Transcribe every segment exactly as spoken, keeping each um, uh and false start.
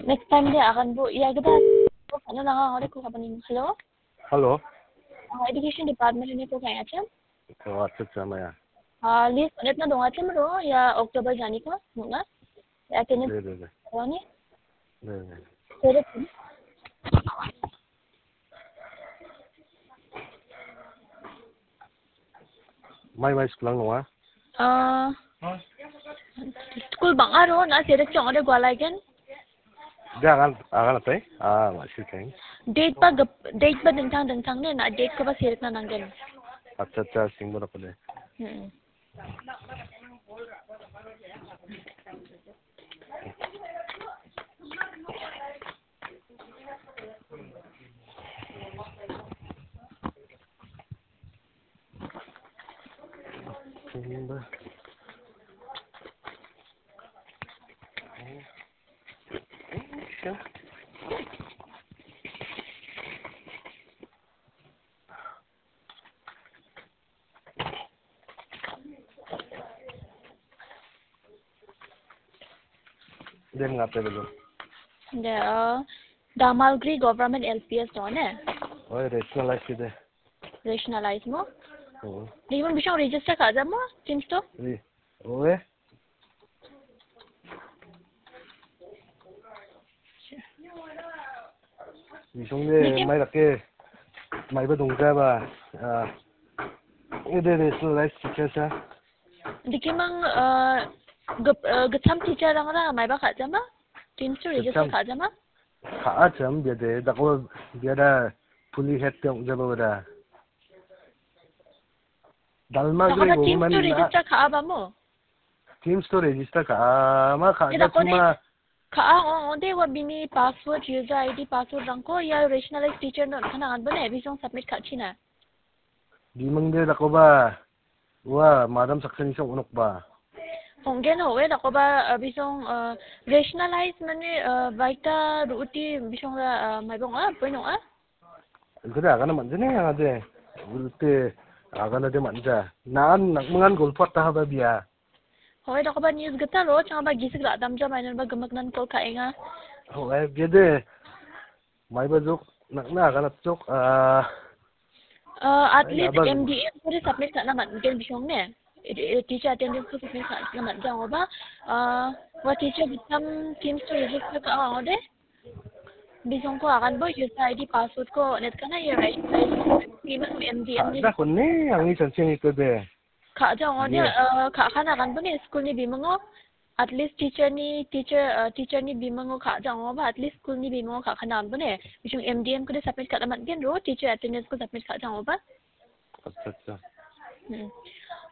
Next time de aganbo ia gita ano nanga ore ko kabanin. Hello? Hello? Ah, Education Department ni ko kaya chan? Oh, acha, acha, maya. Ah, list onet na donga chan ro, ia October jani ko, nuna? Ya, tini. De, de, de. Wani? De, de. Sere pun. Mai, mai, school ang nonga? Ah, school bang aro na sere chong ore gwalaigen. De agan, agan atai? Ah, ma sih kain. Date ba gep-, date ba dingtang dingtang ne, na date ko ba sere na nanggen. Acha, acha, sing bo de. Hmm. Dem ngape dulu. De, uh, Damalgiri Government L P S to ne? Oi, rationalize de. Rationalize mo? Oh. Di mo bisong register ka jamo? Teams to? Oi. Oi. Bisong de, mai lake, mai ba dongja ba, ah, ede de, so, rice chicken sa. Dikimang, ah, gep-, ah, gecham teacher rang ra, mai ba ka jama? Teams to register ka jama? Ka a jam, biade, dako, biada, puli het te ong jaba wada. Dalma gre bo teams to register ka a ba mo? Teams to register ka a, ma ka ja cuma. Ka a, o, o, de wa bini password, user I D password rangko, ia rationalize teacher no kana anbone, bisong submit ka china. Bimang de dako ba, wa, madam saksani song onok ba. Honggen ho, e dako ba, uh, bisong, uh, rationalize mane, uh, baita ruuti bisong ra, uh, maibong a, poinong a? Ikut agana manja ne, agade. Ulte agana de manja. Nan, nak mangan golpot ta haba bia. Hoi, dako ba news gita ro, chang ba gisik ra dam jam, ainan ba gemak nan kol ka enga. Hoi, gede. Mai ba jok, nak na agana jok, ah. Uh, at least M D M ko de submit ka na man, gen bisong ne. Eh, eh, teacher attendance ko submit ka na man, jang ba. Uh, wa teacher bitam teams to register ka ang de. Bisong ko agan bo user I D password ko net kana ya right, right. Bimang M D M ni. Ada ko ne, angni sansing itu de. Ka jang o de, eh, ka kana agan bo ne school ni bimango. At least teacher ni, teacher, eh, teacher ni bimango ka jang o ba, at least school ni bimango ka kana agan bo ne. Bisong M D M ko de submit ka na man gen ro, teacher attendance ko submit ka jang o ba. Acha, acha. Hmm.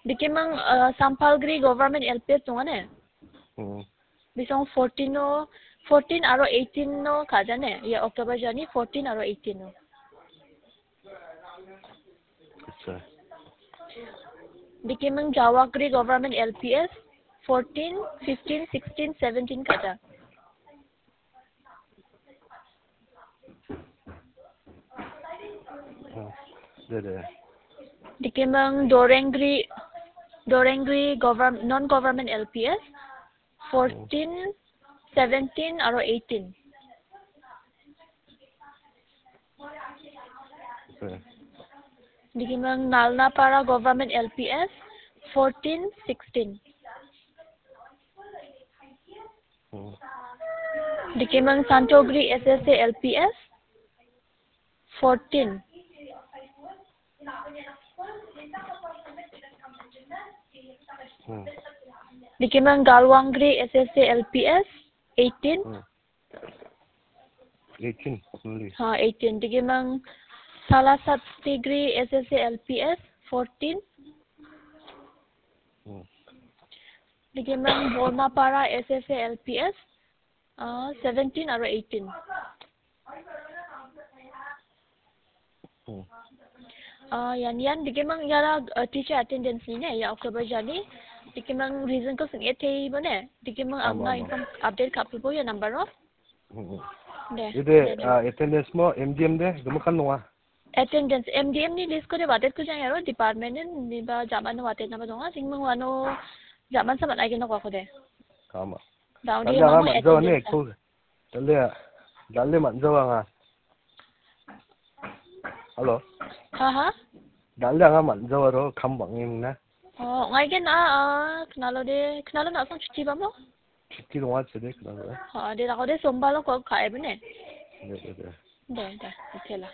Dikimang, eh, Sampalgiri Government L P S donga ne? Hmm. Bisong fourteen o, fourteen aro eighteen o ka jane. Ia October jani fourteen aro eighteen o. Acha. Dikimang Jawagri Government L P S fourteen, fifteen, sixteen, seventeen ka ja. Oh, de, de. Dikimang Dorengri, Dorengri govern-, non-government L P S, fourteen, seventeen, aro eighteen. Okay. Dikimang Nalnapara Government L P S, fourteen, sixteen. Hmm. Dikimang Santogri S S A L P S, fourteen. Hmm. Dikimang Galwangri S S A L P S, eighteen. Hmm. Eighteen only. Ha, eighteen. Dikimang Salasat Tigri S S A L P S, fourteen. Hmm. Dikimang Bormapara S S A L P S, ah, seventeen aro eighteen. Hmm. Ah, yan, yan, dikimang yara, ah, teacher attendance ni ne, ya October jani. Dikimang reason ko sing e tei bo ne. Dikimang ama, anga ama. Income update ka pulpo ya number o. Hmm, hmm. De, ide, de, de. Ah, attendance mo M D M de, gemikan nonga. Attendance, M D M ni list ko de watet ko jang yaro, department ni ba jaman watet na ba donga, singmang wano jaman saman aigin ko de. Kama. Daun di mama attendance. Ko, Dal·e, dal·e man·jawa anga. Halo. Haha. Dal·e anga man·jawa ro, kam bang·emna. Oh, ong·aigen a, a, knalo de, knalo na·song chuti bamo? Chuti donga chede knalo. Ha, de, lako de, sombalo ko ka·e bene. De, de, de. De, de, okay la.